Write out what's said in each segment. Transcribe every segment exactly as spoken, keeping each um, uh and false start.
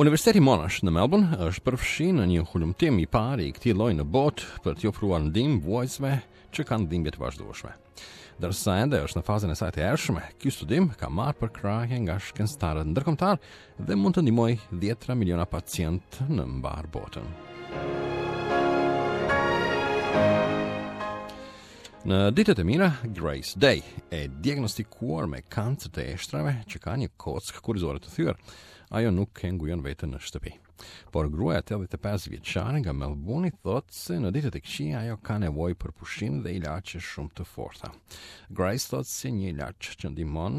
Universiteti Monash në Melbourne është përfshirë në një hulumtim i parë i këtij lloji në botë për t'i ofruar ndihmë vuajtësve që kanë dhimbje të vazhdueshme. Ndërsa ende është në fazën e saj të hershme, ky studim ka marrë përkrahje nga shkencëtarët ndërkombëtar dhe mund të ndihmojë dhjetra miliona pacientë në mbar botën. Në ditët e mira, Grace Day, e diagnostikuar me kancer të eshtrave që ka një kockë kurrizore të thyer, ajo nuk e ngujon veten në shtëpi. Por gruaja tetëdhjetë e pesë vjeçare nga Melbourne thotë se në ditët e këqija ajo ka nevojë për pushim dhe ilaçe shumë të forta. Grace thotë se një ilaç që ndihmon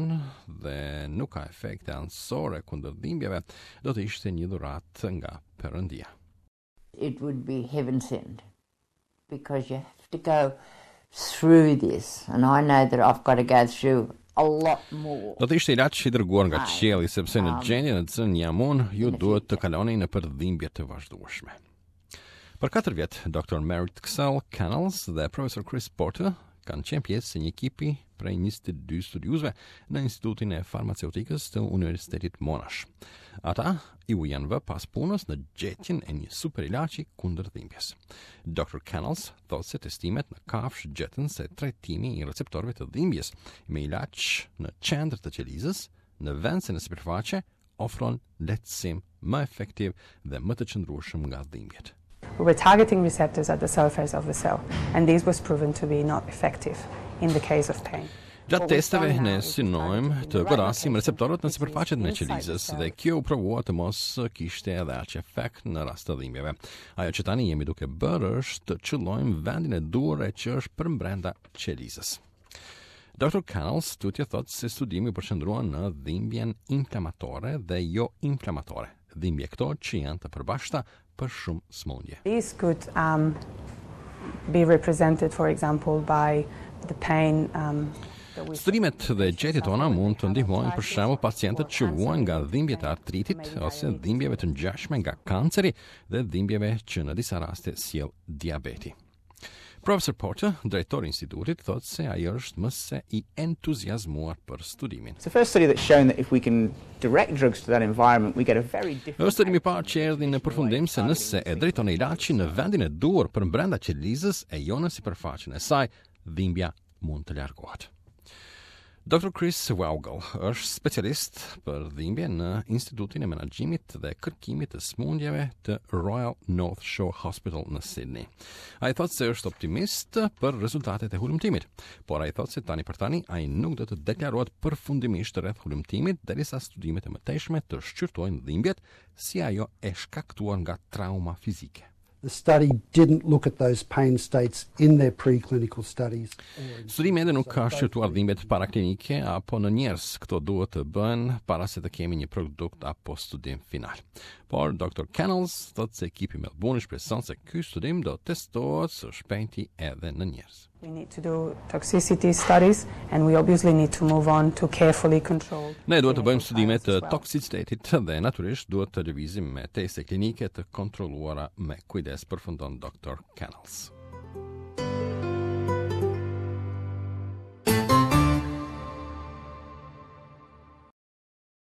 dhe nuk ka efekte anësore kundër dhimbjeve do të ishte një dhuratë nga Perëndia. It would be heaven sent because you have to go through this, and I know that I've got to go through a lot more. Do të ishte ilaç i dërguar nga qielli, sepse në gjendjen në të cilën jam unë, ju duhet të kaloni nëpër dhimbje të vazhdueshme. Për katër vjet, Doktor Meritxell Canals dhe Profesor Chris Porter kanë qenë pjesë e një ekipi prej njëzet e dy studiuesve në Institutin e Farmaceutikës të Universitetit Monash. Ata iu janë vë pas punës në gjetjen e një super ilaçi kundër dhimbjes. Doktor Canals thotë se testimet në kafshë gjetën se trajtimi i receptorëve të dhimbjes me ilaç në qendër të qelizës, në vend se në sipërfaqe, ofron lehtësim më efektiv dhe më të qëndrueshëm nga dhimbjet. We were targeting receptors at the surface of the cell, and this was proven to be not effective in the case of pain. Gjatë testeve ne synojmë të godasim receptorët në sipërfaqet e qelizës dhe kjo u provua të mos kishte edhe aq efekt në rast të dhimbjeve. Ajo që tani jemi duke bërë është të qëllojmë vendin e duhur, e që është përmbrenda qelizës. Doktor Canals tutje thotë se studimi u përqendrua në dhimbjen inflamatore dhe jo inflamatore, dhimbje këto që janë të përbashkëta për shumë sëmundje. This could um, be represented, for example, by the pain um, Studimet dhe gjetjet tona mund të ndihmojnë, për shembull, pacientët që vuajnë nga dhimbjet e artritit ose dhimbjeve të ngjashme nga kanceri dhe dhimbjeve që në disa raste sjell diabeti. Profesor Porter, drejtori i institutit, thotë se ai është më se i entuziazmuar për studimin. It's the first study that's shown that if we can direct drugs to that environment, we get a very different Është studimi i parë që erdhi në përfundim se nëse e drejton ilaçin në vendin e duhur përbrenda qelizës e jo në sipërfaqen e saj, dhimbja mund të largohet. Doktor Chris Weigel është specialist për dhimbje në Institutin e Menaxhimit dhe Kërkimit të Sëmundjeve të Royal North Shore Hospital në Sydney. Ai thotë se është optimist për rezultatet e hulumtimit, por ai thotë se tani për tani ai nuk do të deklarohet përfundimisht rreth hulumtimit derisa studimet e mëtejshme të shqyrtojnë dhimbjet si ajo e shkaktuar nga trauma fizike. The study didn't look at those pain states in their preclinical studies. Studimi ende nuk ka shqyrtuar dhimbjet paraklinike apo në njerëz. Këto duhet të bëhen para se të kemi një produkt apo studim final. Por Doktor Canals thotë se ekipi Melbourne shpreson se ky studim do testohet së shpejti edhe në njerëz. We need to do toxicity studies and we obviously need to move on to carefully controlled Ne duhet të bëjmë studime të toksicitetit dhe natyrisht duhet të lëvizim me teste klinike të kontrolluara me kujdes, përfundon Doktor Canals.